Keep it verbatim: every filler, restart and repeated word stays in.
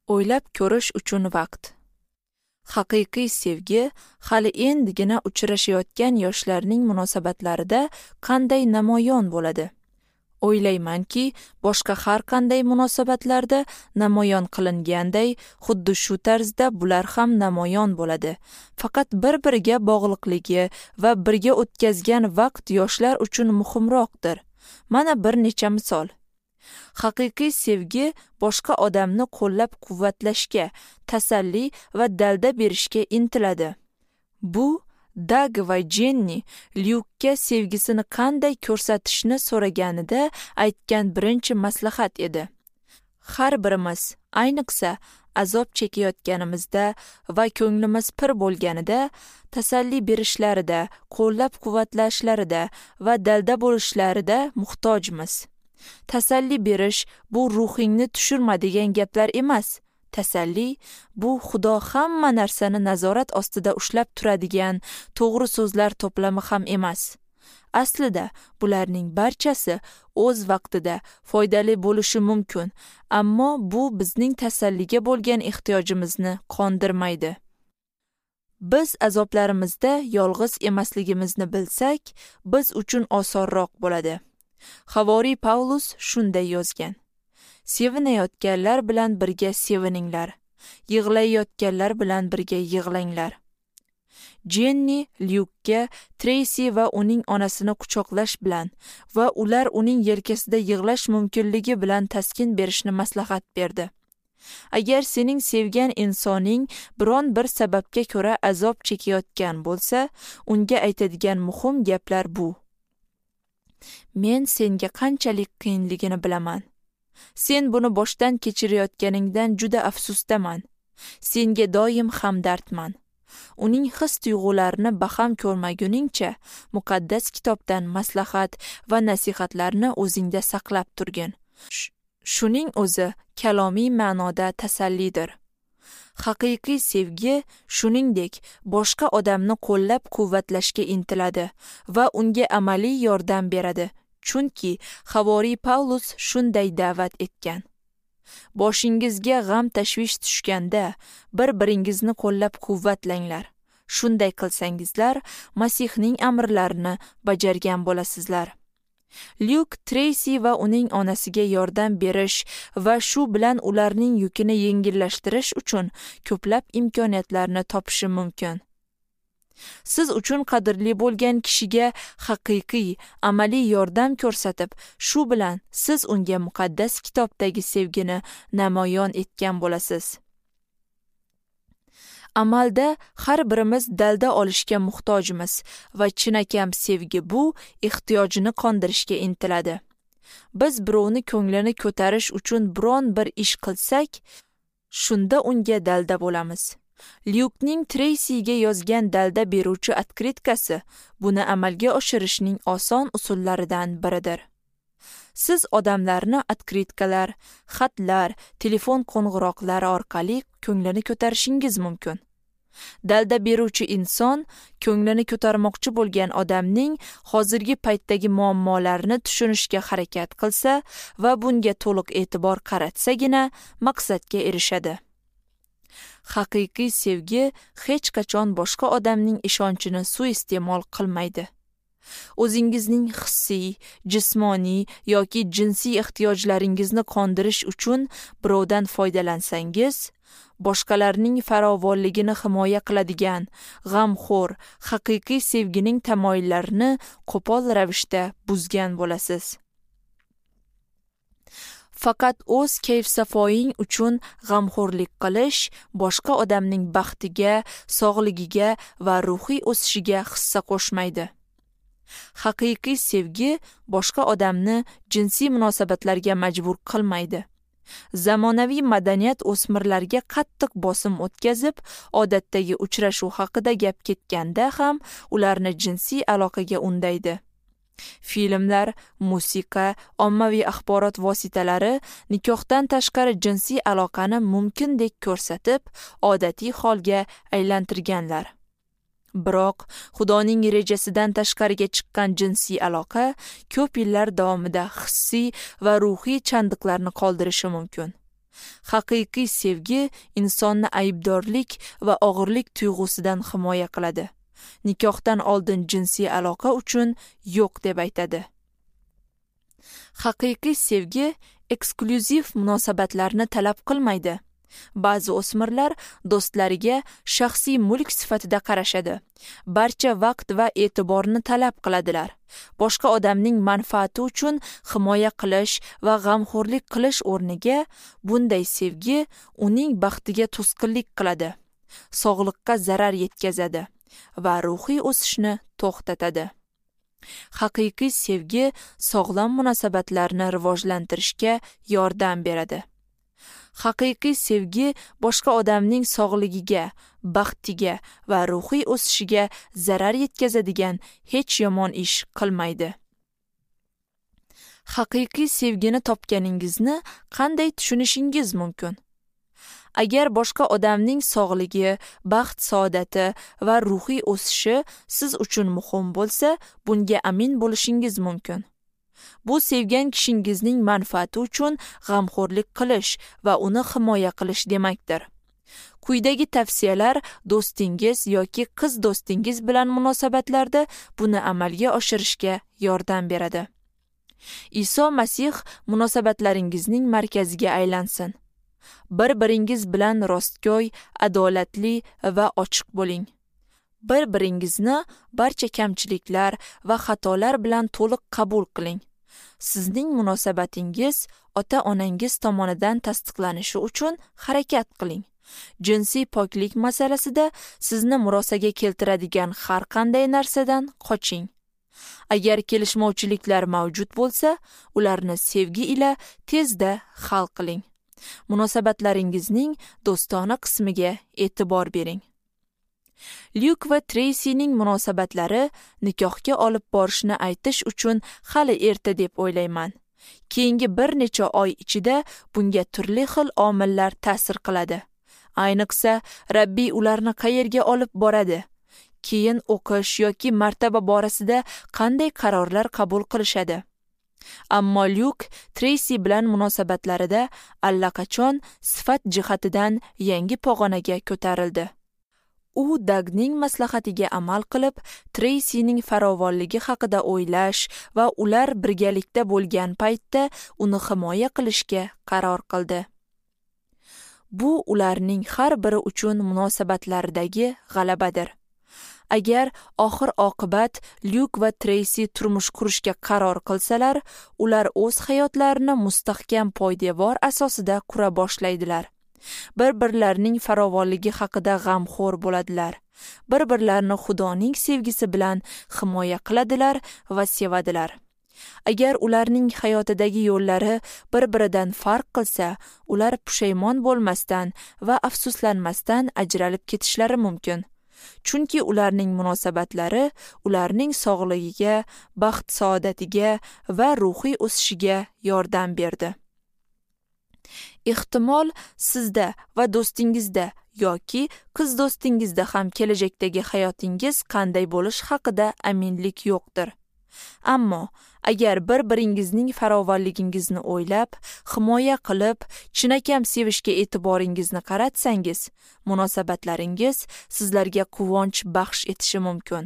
O'ylab ko'rish uchun vaqt. Haqiqiy sevgi hali endigina uchrashayotgan yoshlarning munosabatlarida qanday namoyon bo'ladi? O'ylaymanki, boshqa har qanday munosabatlarda namoyon qilinganday, xuddi shu tarzda bular ham namoyon bo'ladi. Faqat bir-biriga bog'liqligi va birga o'tkazgan vaqt yoshlar uchun muhimroqdir. Mana bir necha misol. Haqiqiy sevgi boshqa odamni qo'llab-quvvatlashga, tasalli va dalda berishga intiladi. Bu Dag va Jenni Lyukka sevgisini qanday ko'rsatishni so'raganida aytgan birinchi maslahat edi. Har birimiz, ayniqsa azob chekayotganimizda va ko'nglimiz pir bo'lganida, tasalli berishlarida, qo'llab-quvvatlashlarida va dalda bo'lishlarida muhtojmiz. Tasalli berish bu ruhingni tushirma degan gaplar emas. Tasalli bu Xudo hamma narsani nazorat ostida ushlab turadigan to'g'ri so'zlar to'plami ham emas. Aslida bularning barchasi o'z vaqtida foydali bo'lishi mumkin, ammo bu bizning tasalliga bo'lgan ehtiyojimizni qondirmaydi. Biz azoblarimizda yolg'iz emasligimizni bilsak, biz uchun osonroq bo'ladi. Havoriy Pavlus shunday yozgan: Sevinayotganlar bilan birga sevininglar, yig'layotganlar bilan birga yig'langlar. Jenni Lyukka Treysi va uning onasini quchoqlash bilan va ular uning yelkasida yig'lash mumkinligi bilan taskin berishni maslahat berdi. Agar sening sevgan insoning biron bir sababga ko'ra azob chekayotgan bo'lsa, unga aytadigan muhim gaplar bu: Men senga qanchalik qiyinligini bilaman. Sen buni boshdan kechirayotganingdan juda afsusdaman. Senga doim hamdardman. Uning his-tuyg'ularini baham ko'rmaguningcha muqaddas kitobdan maslahat va nasihatlarni o'zingda saqlab turgin. Shuning o'zi kalomiy ma'noda tasallidir. Haqiqiy sevgi shuningdek boshqa odamni qo'llab-quvvatlashga intiladi va unga amaliy yordam beradi. Chunki Havoriy Pavlus shunday da'vat etgan: Boshingizga g'am tashvish tushganda bir-biringizni qo'llab-quvvatlanglar. Shunday qilsangizlar, Masihning amrlarini bajargan bo'lasizlar. Lyuk Treysi va uning onasiga yordam berish va shu bilan ularning yukini yengillashtirish uchun ko'plab imkoniyatlarni topishi mumkin. Siz uchun qadrli bo'lgan kishiga haqiqiy, amaliy yordam ko'rsatib, shu bilan siz unga muqaddas kitobdagi sevgini namoyon etgan bo'lasiz. Amalda har birimiz dalda olishga muhtojmiz va chinakam sevgi bu ehtiyojini qondirishga intiladi. Biz birovni ko'nglini ko'tarish uchun biron bir ish qilsak, shunda unga dalda bo'lamiz. Lyukning Treysiga yozgan dalda beruvchi otkritkasi buni amalga oshirishning oson usullaridan biridir. Siz odamlarni otkritkalar, xatlar, telefon qo'ng'iroqlari orqali ko'nglini ko'tarishingiz mumkin. Dalda beruvchi inson ko'nglini ko'tarmoqchi bo'lgan odamning hozirgi paytdagi muammolarini tushunishga harakat qilsa va bunga to'liq e'tibor qaratsagina maqsadga erishadi. Haqiqiy sevgi hech qachon boshqa odamning ishonchini suiiste'mol qilmaydi. O'zingizning hissiy, jismoniy yoki jinsiy ehtiyojlaringizni qondirish uchun birovdan foydalansangiz, boshqalarning farovonligini himoya qiladigan g'amxo'r, haqiqiy sevgining tamoyillarini qo'pol ravishda buzgan bo'lasiz. Faqat o'z kayf-safoying uchun g'amxo'rlik qilish boshqa odamning baxtiga, sog'ligiga va ruhiy o'sishiga hissa qo'shmaydi. Haqiqiy sevgi boshqa odamni jinsiy munosabatlarga majbur qilmaydi. Zamonaviy madaniyat o'smirlarga qattiq bosim o'tkazib, odatdagi uchrashuv haqida gap ketganda ham ularni jinsiy aloqaga undaydi. Filmlar, musiqa, ommaviy axborot vositalari nikohdan tashqari jinsiy aloqani mumkindek ko'rsatib, odatiy holga aylantirganlar. Biroq Xudoning rejasidan tashqariga chiqqan jinsiy aloqa ko'p yillar davomida hissiy va ruhiy chandiqlarni qoldirishi mumkin. Haqiqiy sevgi insonni aybdorlik va og'irlik tuyg'usidan himoya qiladi. Nikohdan oldin jinsiy aloqa uchun yo'q deb aytadi. Haqiqiy sevgi eksklyuziv munosabatlarni talab qilmaydi. Ba'zi o'smirlar do'stlariga shaxsiy mulk sifatida qarashadi. Barcha vaqt va e'tiborni talab qiladilar. Boshqa odamning manfaati uchun himoya qilish va g'amxo'rlik qilish o'rniga bunday sevgi uning baxtiga to'sqinlik qiladi, sog'liqqa zarar yetkazadi va ruhiy o'sishni to'xtatadi. Haqiqiy sevgi sog'lom munosabatlarni rivojlantirishga yordam beradi. Haqiqiy sevgi boshqa odamning sog'ligiga, baxtiga va ruhiy o'sishiga zarar yetkazadigan hech yomon ish qilmaydi. Haqiqiy sevgini topganingizni qanday tushunishingiz mumkin? Agar boshqa odamning sog'ligi, baxt saodati va ruhiy o'sishi siz uchun muhim bo'lsa, bunga amin bo'lishingiz mumkin. Bu sevgan kishingizning manfaati uchun g'amxo'rlik qilish va uni himoya qilish demakdir. Quyidagi tavsiyalar do'stingiz yoki qiz do'stingiz bilan munosabatlarda buni amalga oshirishga yordam beradi. Iso Masih munosabatlaringizning markaziga aylansin. Bir-biringiz bilan rostgo'y, adolatli va ochiq bo'ling. Bir-biringizni barcha kamchiliklar va xatolar bilan to'liq qabul qiling. Sizning munosabatingiz ota-onangiz tomonidan tasdiqlanishi uchun harakat qiling. Jinsiy poklik masalasida sizni murosaga keltiradigan har qanday narsadan qoching. Agar kelishmovchiliklar mavjud bo'lsa, ularni sevgi ila tezda hal qiling. Munosabatlaringizning do'stona qismiga e'tibor bering. Lyuk va Treysining munosabatlari nikohga olib borishni aytish uchun hali erta deb o'ylayman. Keyingi bir necha oy ichida bunga turli xil omillar ta'sir qiladi. Ayniqsa, Rabbiy ularni qayerga olib boradi? Keyin o'qish yoki martaba borasida qanday qarorlar qabul qilishadi? Ammo Lyuk Treysi bilan munosabatlarida allaqachon sifat jihatidan yangi pog'onaga ko'tarildi. U Dagning maslahatiga amal qilib, Treysining farovonligi haqida o'ylash va ular birgalikda bo'lgan paytda uni himoya qilishga qaror qildi. Bu ularning har biri uchun munosabatlaridagi g'alabadir. Agar oxir-oqibat Lyuk va Treysi turmush qurishga qaror qilsalar, ular o'z hayotlarini mustahkam poydevor asosida qura boshlaydilar. Bir-birlarining farovonligi haqida g'amxo'r bo'ladilar. Bir-birlarini Xudoning sevgisi bilan himoya qiladilar va sevadilar. Agar ularning hayotidagi yo'llari bir-biridan farq qilsa, ular pushaymon bo'lmasdan va afsuslanmasdan ajralib ketishlari mumkin. Chunki ularning munosabatlari ularning sog'ligiga, baxt saodatiga va ruhiy o'sishiga yordam berdi. Ehtimol sizda va do'stingizda yoki qiz do'stingizda ham kelajakdagi hayotingiz qanday bo'lishi haqida aminlik yo'qdir. Ammo agar bir-biringizning farovonligingizni o'ylab, himoya qilib, chinakam sevishga e'tiboringizni qaratsangiz, munosabatlaringiz sizlarga quvonch baxsh etishi mumkin.